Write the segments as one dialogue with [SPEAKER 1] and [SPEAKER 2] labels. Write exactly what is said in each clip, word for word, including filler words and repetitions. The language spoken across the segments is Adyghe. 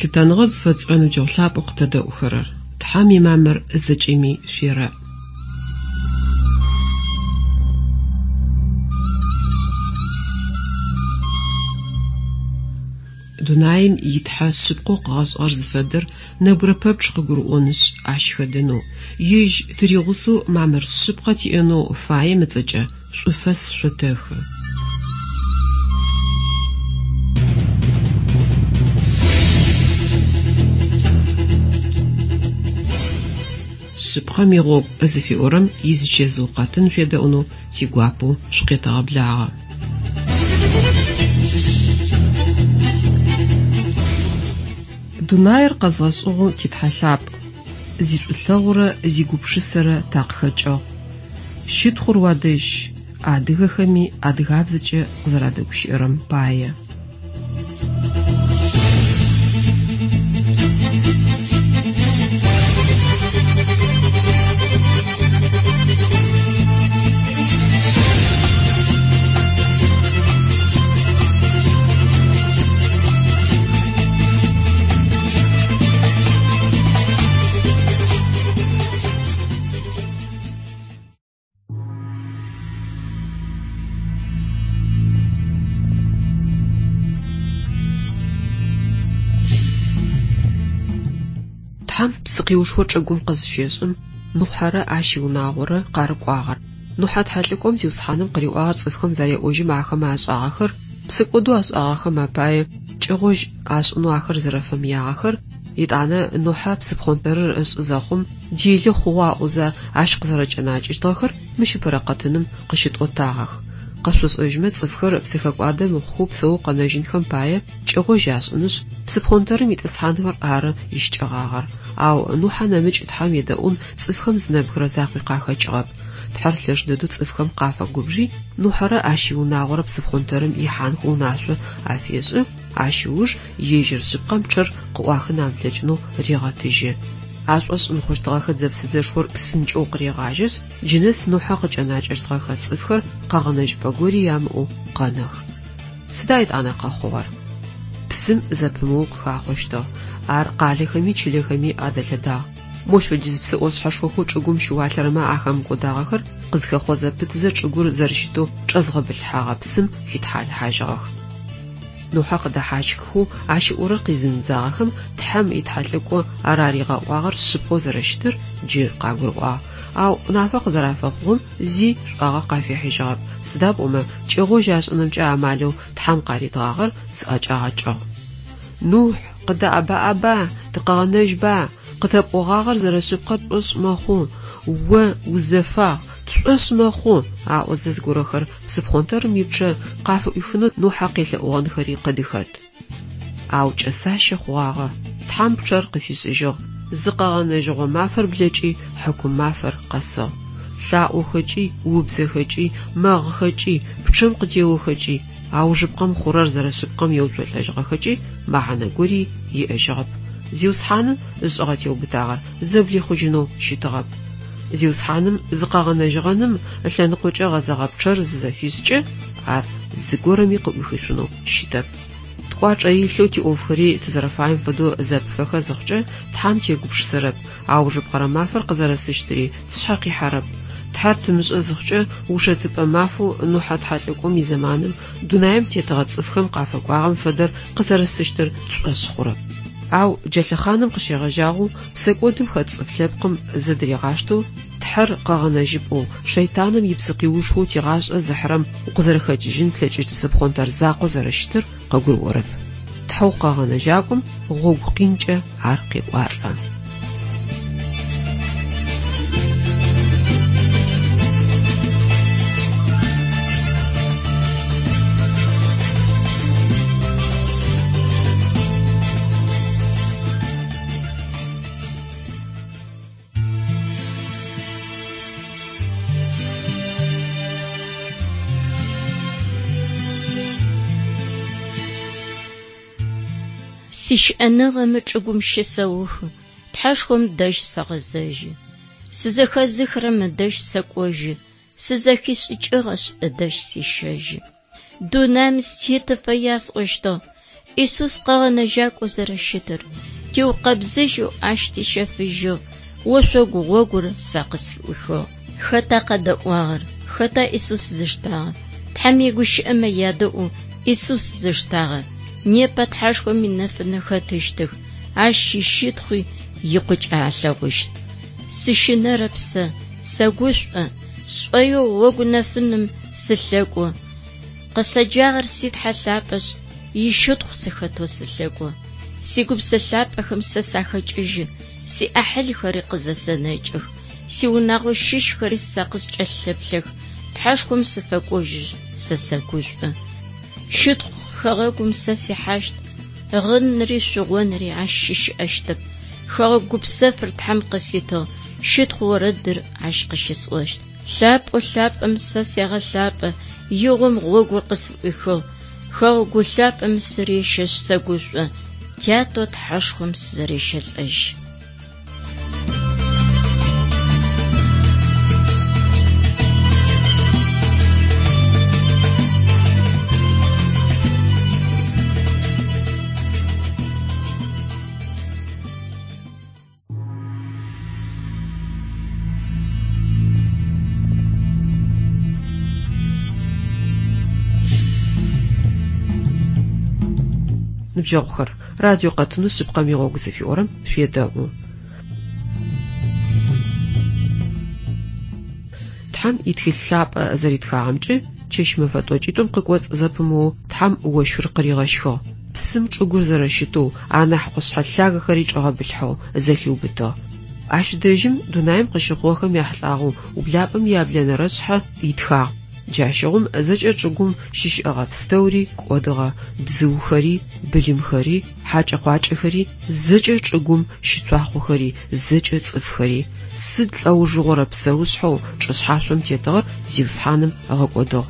[SPEAKER 1] Лъытэныгъэ зыфэтшӏырэ ныбджэгъу лъапӏэу къытэдэӏухэрэр, Тхьэм имамыр зэкӏэми шъуерэӏ. Дунаим итхьэ шъыпкъэу къыгъэшӏыгъэр зыфэдэр нэбгырэ пэпчъ къыгурыӏонышъ, ащ хэдэнэу, ежь тыригъусэу мамыр шъыпкъэ тиӏэнэу фаем ыцӏэкӏэ шӏуфэс шъотэхы. Шъыпкъэм игъогу зыфиӏорэм изычэзыу къэтын шъуедэӏунэу тигуапэу шъукъетэгъэблагъэ. Дунаир къэзгъэшӏыгъэу титхьэ лъапӏ, зишӏулъэгъурэ зигупшысэрэ такъыхэкӏыгъ. Щытхъур уадэжь, адыгэхэми адыгабзэкӏэ къызэрадэгущыӏэрэм пае. Тхьэм псыкъиушхо чӏыгум къызыщешӏым, Нухьэрэ ащ иунагъорэ къарыкӏуагъэр. Нухьэ тхьэлӏыкӏом Зиусхьаным къыриӏуагъэр цӏыфхэм зареӏожьым ахэмэ ашӏагъэхэр, псэкӏодэу ашӏагъэхэм апае кӏэгъожь ашӏынэу ахэр зэрэфэмыягъэхэр, етӏанэ Нухьэ псыпхъонтэрыр ышӏы зэхъум делэ хъугъэ аӏозэ ащ къызэрэкӏэнакӏэщтыгъэхэр мыщ ыпэрэ къэтыным къыщытӏотагъэх. Къэшъошӏэжьмэ цӏыфхэр псыхэкӏуадэ мыхъухэу псэу къэнэжьынхэм пае кӏэгъожь ашӏынышъ, псыпхъонтэрым итӏысхьанхэр ары ищыкӏэгъагъэр. Ау Нухьэ нэмыкӏ Тхьэм едэӏун цӏыфхэм зы нэбгырэ закъуи къахэкӏыгъэп. Тхьэр лъэш дэдэу цӏыфхэм къафэгубжи, Нухьэрэ ащ иунагъорэ псыпхъонтэрым ихьанхэу унашъо афешӏы, ащ ыуж ежьыр шъыпкъэм пчъэр къыӏуахын амылъэкӏынэу регъэтыжьы. Ашӏошъ мыхъущтыгъэхэ дзэ-псыдзэшхор псынкӏэу къырегъажьэшъ, джынэс Нухьэ къыкӏэнакӏэщтыгъэхэ цӏыфхэр къэгъэнэжьыпӏэ гори ямыӏэу къэнэх. Сыда етӏанэ къэхъугъэр? Псым зэпымыоу къыхахъощтыгъ. Ар къалэхэми чылэхэми адэлъэдагъ. Мощ фэдиз псы ӏошъхьэшхохэу чӏыгум щыуалъэрэмэ ахэмыкӏодагъэхэр къызхэхъо зэпытызэ чӏыгур зэрэщытэу чӏэзгъэбылъхьэгъэ псым хитхьалыхьажьыгъэх. Нухьэ къыдэхьащххэу ащ ыӏорэр къизымыдзагъэхэм Тхьэм итхьэлӏыкӏо араригъэӏуагъэр шъыпкъэу зэрэщытыр джы къагурыӏуагъ. Ау нафэ къызэрафэхъугъэм зи шӏуагъэ къафихьыжьыгъэп, сыда пӏомэ кӏэгъожь ашӏынымкӏэ амалэу Тхьэм къаритыгъагъэр зыӏэкӏагъэкӏыгъ. Нухь, къыдэӏэбаӏэба, тыкъэгъэнэжьба, къытэпӏогъагъэр зэрэшъыпкъэр тшӏошъ мэхъу, о узэфагъ, тшӏошъ мэхъу, аӏозэ зыгорэхэр псыпхъонтэрым ипчъэ къафыӏуихынэу Нухьэ къелъэӏугъэнхэри къыдыхэт. Ау кӏэсащэ хъугъагъэ, Тхьэм пчъэр къыфишӏыжьыгъ, зыкъэгъэнэжьыгъо мафэр блэкӏи хьыкум мафэр къэсыгъ. Лъаӏохэкӏи, убзэхэкӏи, мэгъыхэкӏи, пчъэм къытеохэкӏи, аужыпкъэм хъурэр зэрэшъыпкъэм еуцолӏэжьыгъэхэкӏи мэхьанэ гори иӏэжьыгъэп. Зиусхьаным ышӏыгъэ теубытагъэр зэблихъужьынэу щытыгъэп. Зиусхьаным зыкъэгъэнэжьыгъэным ылъэныкъокӏэ гъэзэгъэ пчъэр зызэфишӏкӏэ, ар зыгорэми къыӏуихышъунэу щытэп. Ткӏуачӏэ илъэу тиӏофхэри тызэрэфаем фэдэу зэпыфэхэ зыхъукӏэ Тхьэм тегупшысэрэп, аужыпкъэрэ мафэр къызэрэсыщтыри тшъхьэ къихьэрэп. Тхьэр тымышӏэ зыхъукӏэ ушэтыпӏэ мафэу Нухьэ тхьэлӏыкӏом изэманым дунаим тетыгъэ цӏыфхэм къафэкӏуагъэм фэдэр къызэрэсыщтыр тшӏошъ хъурэп. Ау джа лъэхъаным къыщегъэжьагъэу псэкӏодым хэт цӏыф лъэпкъым зэдыригъаштэу Тхьэр къэгъэнэжьыпӏэу, шэйтаным ипсыкъиушхоу тигъашӏэ зыхьырэм укъызэрэхэкӏыжьын плъэкӏыщт псыпхъонтэр закъо зэрэщытыр къыгурыӏорэп. Тхьэу къэгъэнэжьакӏом гъогу къинкӏэ ар къекӏуалӏэ.
[SPEAKER 2] Сищыӏэныгъэ мы чӏыгум щысэухы, Тхьэшхом дэжь сэгъэзэжьы. Сызэхэзыхырэм ыдэжь сэкӏожьы, сызэхишӏыкӏыгъэшъ ыдэжь сещэжьы. Дунаим сытетыфэ ясӏощтыгъ, Исус къэгъэнэжьакӏоу зэрэщытыр, тиукъэбзыжьэу ащ тищэфыжьыгъ, ошъогу гъогур сэ къысфыӏуихыгъ. Хэта къэдэӏуагъэр? Хэта Исус зыштагъэр? Тхьэм игущыӏэмэ ядэӏу Исус зыштагъэр. Непэ Тхьэшхом инэфынэ хэтыщтых, ащ ищытхъуи икъукӏэ алъэгъущт. Сыщынэрэп сэ, сэгушӏо, сшӏоигъу гъогу нэфыным сылъэкӏо. Къысэджагъэр си Тхьэ лъапӏэшъ, ищытхъу сыхэтэу сылъэкӏо. Сигупсэ лъапӏэхэм сэ сахэкӏыжьы, сиӏахьылхэри къызэсэнэкӏых, сиунагъо щыщхэри сэ къыскӏэлъэплъэх, Тхьэшхом сыфэкӏожьышъ, сэ сэгушӏо. Щытхъу хэгъэгум сэ сихьащт, гъынри шъугъонри ащ щыщыӏэщтэп. Хэгъэгу гупсэфыр Тхьэм къыситыгъ, щытхъу орэдыр ащ къыщысӏощт. Лъапӏэу лъапӏэм сэ сегъэлъапӏэ, игъом гъогур къысфыӏуихыгъ. Хэгъэгу лъапӏэм сырещэшъ сэгушӏо, тятэу Тхьэшхом сызэрещэлӏэжь.
[SPEAKER 1] Ныбджэгъухэр, радио къэтынэу шъыпкъэм игъогу зыфиӏорэм шъуедэӏу. Тхьэм итхылъ лъапӏэ зэритхагъэмкӏэ чэщ мэфэ тӏокӏитӏум къыкӏоцӏ зэпымыоу Тхьэм ощхыр къыригъэщхыгъ. Псым чӏыгур зэрэщытэу, анахь къушъхьэ лъагэхэри чӏэгъэбылъхьэу зэлъиубытыгъ. Ащ дэжьым дунаим къыщыхъугъэхэм яхьылӏагъэу ублапӏэм яблэнэрэ шъхьэ итхагъ. Джащыгъум зэкӏэ чӏыгум щыщыӏэгъэ пстэури кӏодыгъэ, бзыухэри, былымхэри, хьакӏэ-къуакӏэхэри, зэкӏэ чӏыгум щыцуахъохэри, зэкӏэ цӏыфхэри. Сыд лӏэужыгъорэ псэушъхьэу чӏышъхьашъом тетыгъэр Зиусхьаным ыгъэкӏодыгъ.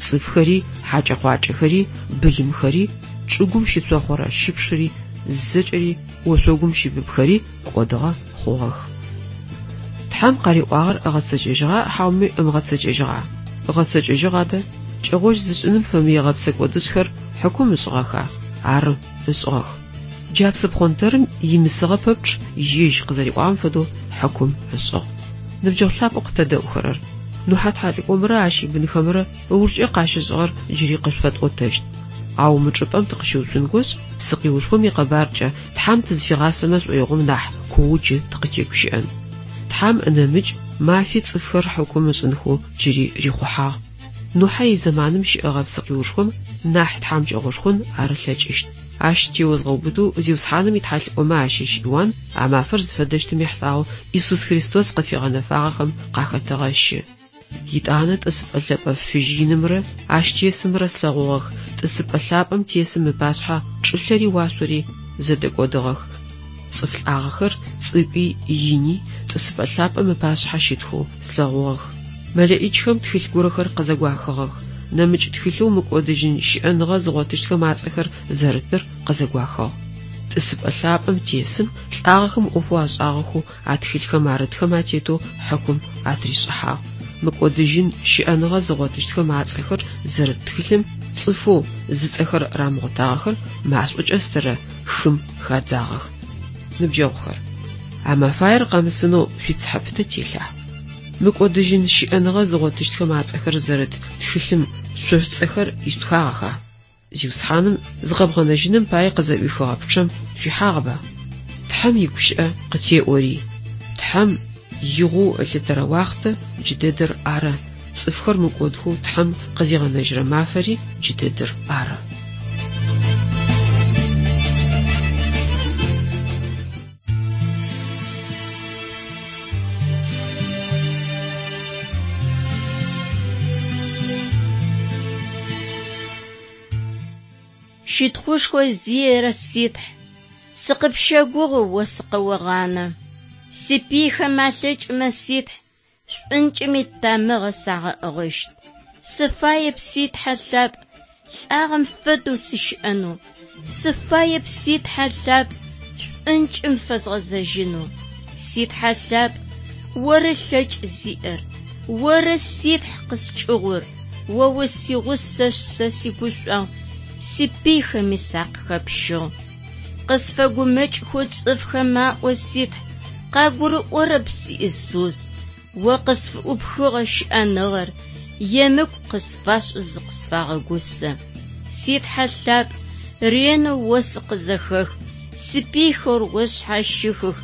[SPEAKER 1] Цӏыфхэри, хьакӏэ-къуакӏэхэри, былымхэри, чӏыгум щыцохъорэ щыпшыри, зэкӏэри ошъогум щыбыбхэри кӏодыгъэ хъугъэх. Тхьэм къариӏуагъэр ыгъэцэкӏэжьыгъа хьауми ымыгъэцэкӏэжьыгъа? Ыгъэцэкӏэжьыгъ адэ? Кӏэгъожь зышӏыным фэмыегъэ псэкӏодышъхэр хьыкум ышӏыгъэха? Ары, ышӏыгъэх. Джа псыпхъонтэрым имысыгъэ пэпчъ ежь къызэриӏуагъэм фэдэу хьыкум ышӏыгъ. Ныбджэгъу лъапӏэу къытэдэӏухэрэр, Нухьэ тхьэлӏыкӏомрэ ащ ибынхэмрэ ыужкӏэ къащышӏыгъэр джыри къышъуфэтӏотэщт. Ау мы чӏыпӏэм тыкъыщыуцунгощ псыкъиушхом икъэбаркӏэ Тхьэм тызфигъасэмэ шӏоигъом нахь куоу джы тыкъытегущыӏэн. Тхьэм нэмыкӏ мафи цӏыфхэр хьыкум ышӏынхэу джыри рихъухьагъ. Нухьэ изэманым щыӏэгъэ псыкъиушхом нахь тхьамыкӏэгъошхон ар ылъэкӏыщт. Ащ теозгъэубытэу Зиусхьаным итхьэлӏыкӏомэ ащыщ Иуан а мафэр зыфэдэщтым ехьылӏагъэу Исус Христос къыфигъэнэфагъэхэм къахэтэгъэщы. Итӏанэ тӏысыпӏэ лъэпӏэ фыжь инымрэ ащ тесымрэ слъэгъугъэх. Тӏысыпӏэ лъапӏэм тесым ыпашъхьэ чӏылъэри уашъори зэдэкӏодыгъэх. Цӏыф лӏагъэхэр цӏыкӏуи ини тӏысыпӏэ лъапӏэм ыпашъхьэ щытхэу слъэгъугъэх. Мэлэӏичхэм тхылъ горэхэр къызэгуахыгъэх. Нэмыкӏ тхылъэу мыкӏодыжьын щыӏэныгъэ зыгъотыщтхэм ацӏэхэр зэрытыр къызэгуахыгъ. Тӏысыпӏэ лъапӏэм тесым лӏагъэхэм ӏофэу ашӏагъэхэу а тхылъхэм арытхэм атетэу хьыкум атришӏыхьагъ. Мыкӏодыжьын щыӏэныгъэ зыгъотыщтхэм ацӏэхэр зэрыт тхылъым цӏыфэу зыцӏэхэр рамыгъотагъэхэр машӏокӏэ стырэ хым хадзагъэх. Ныбджэгъухэр, а мэфаер къэмысынэу шъуицыхьэ пытэ телъа? Мыкӏодыжьын щыӏэныгъэ зыгъотыщтхэм ацӏэхэр зэрыт тхылъым шъо шъуцӏэхэр ишъутхагъэха? Зиусхьаным зыкъэбгъэнэжьыным пае къызэӏуихыгъэ пчъэм шъуихьагъэба? Тхьэм игущыӏэ къытеӏори. Тхьэм игъоу ылъытэрэ уахътэ джыдэдэр ары. Цӏыфхэр мыкӏодхэу Тхьэм къызигъэнэжьырэ мафэри джыдэдэр ары.
[SPEAKER 2] Щытхъушхо зиерэ ситхь, сыкъыпщэгугъы о сыкъэогъанэ. Сипыйхэм алъэкӏымэ ситхь, шӏункӏыми тамыгъэ сагъэӏыгъыщт. Сыфаеп си Тхьэ лъапӏ, лӏагъэм фэдэу сыщыӏэнэу. Сыфаеп си Тхьэ лъапӏ, шӏункӏым фэзгъэзэжьынэу. Си Тхьэ лъапӏ, оры лъэкӏ зиӏэр, оры ситхь къыскӏыгъур, о усигъусэшъ сэ сигушӏуагъ, Сипыйхэми сакъыхэпщыгъ. Къысфэгумэкӏхэу цӏыфхэм аӏо, си Тхь, къагурыӏорэп, си Исус. О къысфыӏупхыгъэ щыӏэныгъэр емыкӏу къысфашӏэу зыкъысфагъэгусэ. Си Тхьэ лъапӏ, ренэу о сыкъызэхэх, сипыйхэр о сшъхьащыхых,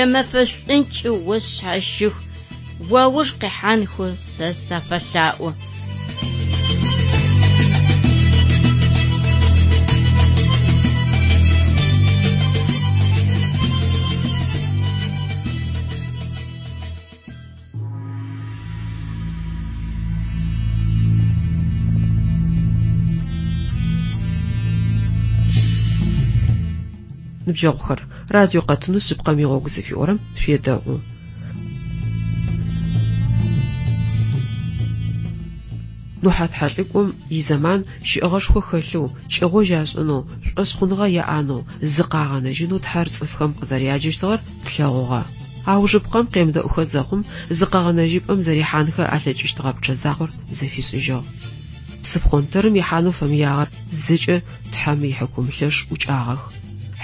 [SPEAKER 2] ямэфэ шӏункӏи о сшъхьащых, уауж къихьанхэу сэ сафэлъаӏо.
[SPEAKER 1] Ныбджэгъухэр, радио къэтынэу шъыпкъэм игъогу зыфиӏорэм шъуедэӏу. Нухьэ тхьэлӏыкӏом изэман щыӏэгъэшхо хэлъэу, кӏэгъожь ашӏынэу, шӏошъхъуныгъэ яӏэнэу, зыкъагъэнэжьынэу Тхьэр цӏыфхэм къызэряджэщтыгъэр тлъэгъугъэ. Аужыпкъэм къемыдэӏухэ зэхъум, зыкъэгъэнэжьыпӏэм зэрихьанхэ алъэкӏыщтыгъэ пчъэ закъор зэфишӏыжьыгъ. Псыпхъонтэрым ихьанэу фэмыягъэр зэкӏэ Тхьэм ихьыкум лъэш ӏукӏагъэх.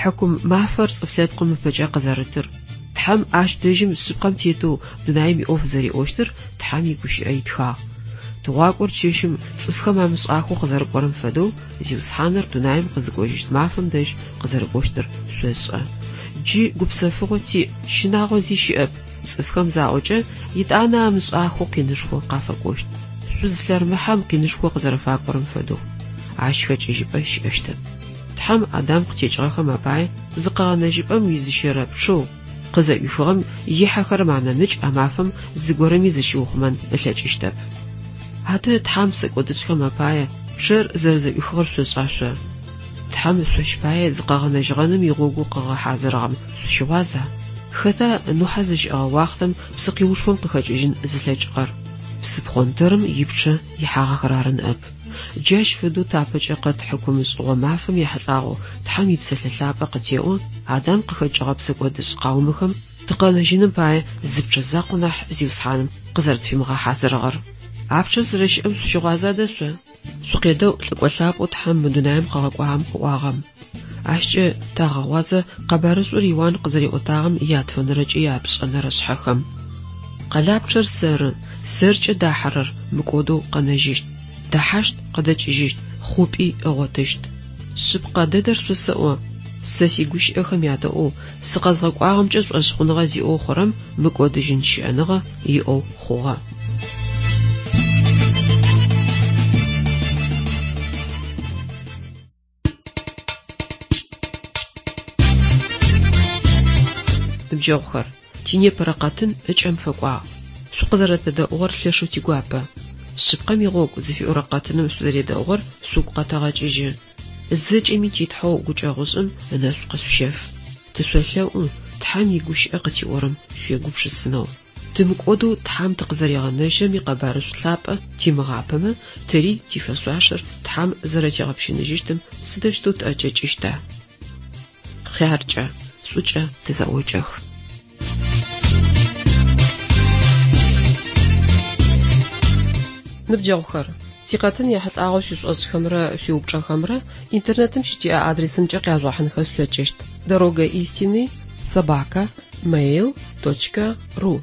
[SPEAKER 1] Хьыкум мафэр цӏыф лъэпкъым ыпэкӏэ къызэрытыр, Тхьэм ащ дэжьым шъыпкъэм тетэу дунаим иӏоф зэриӏощтыр Тхьэм игущыӏэ итхагъ. Тыгъуакӏор чэщым цӏыфхэм амышӏахэу къызэрыкӏорэм фэдэу Зиусхьаныр дунаим къызыкӏожьыщт мафэм дэжь къызэрыкӏощтыр шъошӏэ. Джы гупсэфыгъо тиӏ, щынагъо зи щыӏэп. Цӏыфхэм заӏокӏэ, итӏанэ амышӏахэу къинышхо къафэкӏощт. Шъуз лъэрмыхьэм къинышхо къызэрэфакӏорэм фэдэу. Ащ хэкӏыжьыпӏэ щыӏэщтэп. Тхьэм Адам къытекӏыгъэхэм апае зыкъэгъэнэжьыпӏэм уизыщэрэ пчъэу къызэӏуихыгъэм ихьэхэрэм анэмыкӏ а мафэм зыгорэми зыщиухъумэн ылъэкӏыщтэп. Адэ Тхьэм псэкӏодышӏхэм апае пчъэр зэрэзэӏуихыгъэр шъошӏа шъо? Тхьэм шъощ пае зыкъэгъэнэжьыгъэным игъогу къыгъэхьазырыгъэм шъущыгъуаза? Хэта Нухьэ зыщыӏэгъэ уахътэм псыкъиушхом къыхэкӏыжьын зылъэкӏыгъэр? Псыпхъонтэрым ипчъэ ихьагъэхэр ары ныӏэп. Джащ фэдэу тапэкӏэ къэт хьыкумышӏыгъо мафэм ехьылӏагъэу Тхьэм ипсэлъэ лъапӏэ къытеӏо, Адам къыхэкӏыгъэ псэкӏодышӏ къаумэхэм тыкъэнэжьыным пае зы пчъэ закъо нахь Зиусхьаным къызэрэтфимыгъэхьазырыгъэр. А пчъэр зэрэщыӏэм шъущыгъуаза дэ шъо? Шъукъедэӏу лӏыкӏо лъапӏэу Тхьэм мы дунаим къыгъэкӏуагъэм къыӏуагъэм. Ащкӏэ тагъэгъуазэ къэбарышӏур Иуан къызэриӏотагъэм ятфэнэрэкӏи япшӏэнэрэ шъхьэхэм. Къэлапчъэр сэры, сэркӏэ дахьэрэр мыкӏодэу къэнэжьыщт, дэхьащт къыдэкӏыжьыщт, хъупӏи ыгъотыщт. Шъыпкъэ дэдэр шъосэӏо, сэ сигущыӏэхэм ядэӏоу, сыкъэзгъэкӏуагъэмкӏэ шӏошъхъуныгъэ зиӏэу хъурэм мыкӏодыжьын щыӏэныгъэ иӏэу хъугъэ. Ныбджэгъухэр, тинепэрэ къэтын ыкӏэм фэкӏуагъ. Шъукъызэрэтэдэӏугъэр лъэшэу тигуапэ. Шъыпкъэм игъогу зыфиӏорэ къэтыным шъузэредэӏугъэр шъугу къэтэгъэкӏыжьы. Зэкӏэми титхьэу гукӏэгъушӏым ынэшӏу къышъущэф. Тышъолъэӏу Тхьэм игущыӏэ къытиӏорэм шъуегупшысынэу. Тымыкӏодэу Тхьэм тыкъызэригъэнэжьрэм икъэбарышӏу лъапӏэ тимыгъапэмэ, тэри тифэшъуашэр Тхьэм зэрэтигъэпщыныжьыщтым сыдэущтэу тӏэкӏэкӏыщта? Хъяркӏэ, шӏукӏэ тызэӏокӏэх. Ныбджэгъухэр, тикъэтын ехьылӏагъэу шъуишӏошӏхэмрэ шъуиупчӏэхэмрэ интернетым щытиӏэ адресымкӏэ къяжъугъэхьынхэ шъулъэкӏыщт: дорога истины собака mail точка ру.